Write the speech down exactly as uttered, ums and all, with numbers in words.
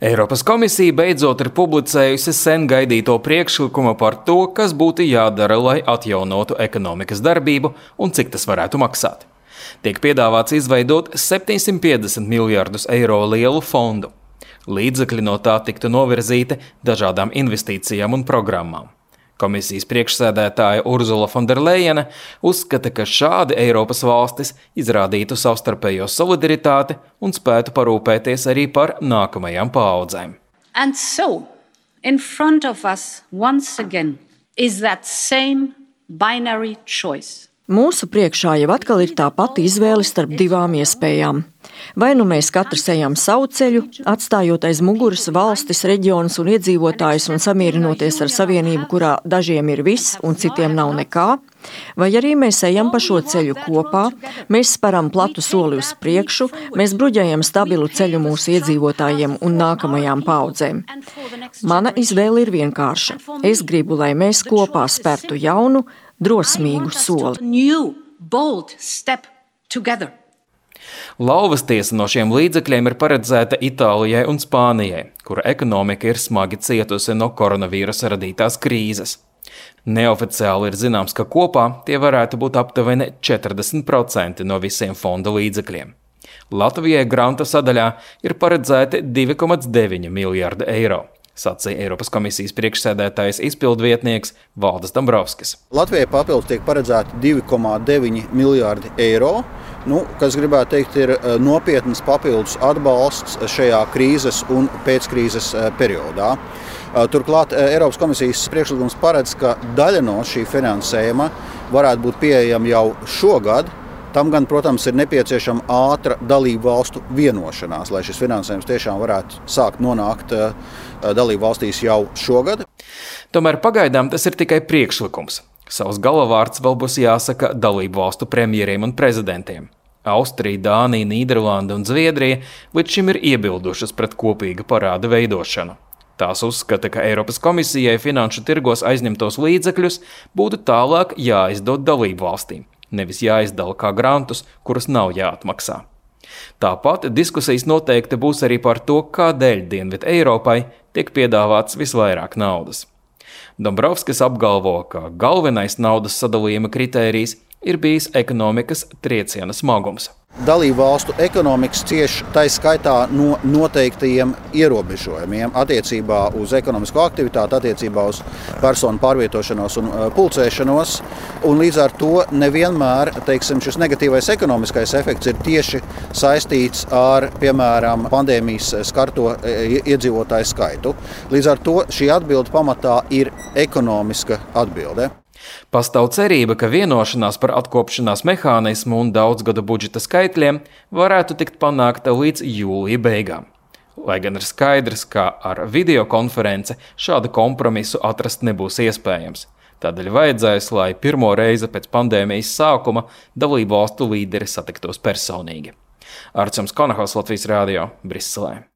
Eiropas komisija beidzot ir publicējusi sen gaidīto priekšlikumu par to, kas būtu jādara, lai atjaunotu ekonomikas darbību un cik tas varētu maksāt. Tiek piedāvāts izveidot septiņsimt piecdesmit miljardus eiro lielu fondu. Līdzekļi no tā tiktu novirzīti dažādām investīcijām un programmām. Komisijas priekšsēdētāja Urzula Fonderlejene uzskata, ka šādi Eiropas valstis izrādītu savstarpējo solidaritāti un spētu parūpēties arī par nākamajām paaudzēm. And so, in front of us once again is that same binary choice. Mūsu priekšā jau atkal ir tā pati izvēle starp divām iespējām. Vai nu mēs katrs ejam savu ceļu, atstājot aiz muguras valstis, reģionus un iedzīvotājus un samierinoties ar savienību, kurā dažiem ir viss un citiem nav nekā, vai arī mēs ejam pa šo ceļu kopā, mēs sparam platu soli uz priekšu, mēs bruģējam stabilu ceļu mūsu iedzīvotājiem un nākamajām paaudzēm. Mana izvēle ir vienkārša. Es gribu, lai mēs kopā spērtu jaunu, drosmīgu soli. Lauvas tiesa no šiem līdzekļiem ir paredzēta Itālijai un Spānijai, kura ekonomika ir smagi cietusi no koronavīrusa radītās krīzes. Neoficiāli ir zināms, ka kopā tie varētu būt aptuveni četrdesmit procenti no visiem fonda līdzekļiem. Latvijai granta sadaļā ir paredzēti divi komats deviņi miljardi eiro. Sacīja Eiropas komisijas priekšsēdētājs izpildvietnieks Valdis Dombrovskis. Latvijai papildus tiek paredzēti divi komati deviņi miljārdi eiro, nu, kas gribētu teikt ir nopietnas papildus atbalsts šajā krīzes un pēckrīzes periodā. Turklāt Eiropas komisijas priekšlikums paredz, ka daļa no šī finansējuma varētu būt pieejama jau šogad. Tam gan, protams, ir nepieciešama ātra dalību valstu vienošanās, lai šis finansējums tiešām varētu sākt nonākt dalību valstīs jau šogad. Tomēr pagaidām tas ir tikai priekšlikums. Savs galavārds vēl būs jāsaka dalību valstu premjeriem un prezidentiem. Austrija, Dānija, Nīderlanda un Zviedrija līdz šim ir iebildušas pret kopīga parāda veidošanu. Tās uzskata, ka Eiropas komisijai finanšu tirgos aizņemtos līdzekļus būtu tālāk jāizdod dalību valstīm. Nevis jāizdala kā grantus, kurus nav jāatmaksā. Tāpat diskusijas noteikti būs arī par to, kādēļ Dienvidu Eiropai tiek piedāvāts visvairāk naudas. Dombrovskis apgalvo, ka galvenais naudas sadalījuma kritērijs ir bijis ekonomikas trieciena smagums. Dalību valstu ekonomikas cieš tai skaitā no noteiktajiem ierobežojumiem attiecībā uz ekonomisko aktivitāti, attiecībā uz personu pārvietošanos un pulcēšanos. Un līdz ar to nevienmēr, teiksim, šis negatīvais ekonomiskais efekts ir tieši saistīts ar, piemēram, pandēmijas skarto iedzīvotāju skaitu. Līdz ar to šī atbilde pamatā ir ekonomiska atbilde. Pastāv cerība, ka vienošanās par atkopšanās mehānismu un daudzgadu budžeta skaitļiem varētu tikt panākta līdz jūlija beigām. Lai gan ir skaidrs, ka ar videokonference šādu kompromisu atrast nebūs iespējams. Tādēļ vajadzēs, lai pirmo reizi pēc pandēmijas sākuma dalību valstu līderi satiktos personīgi. Arčuns Konahaus, Latvijas radio, Briselē.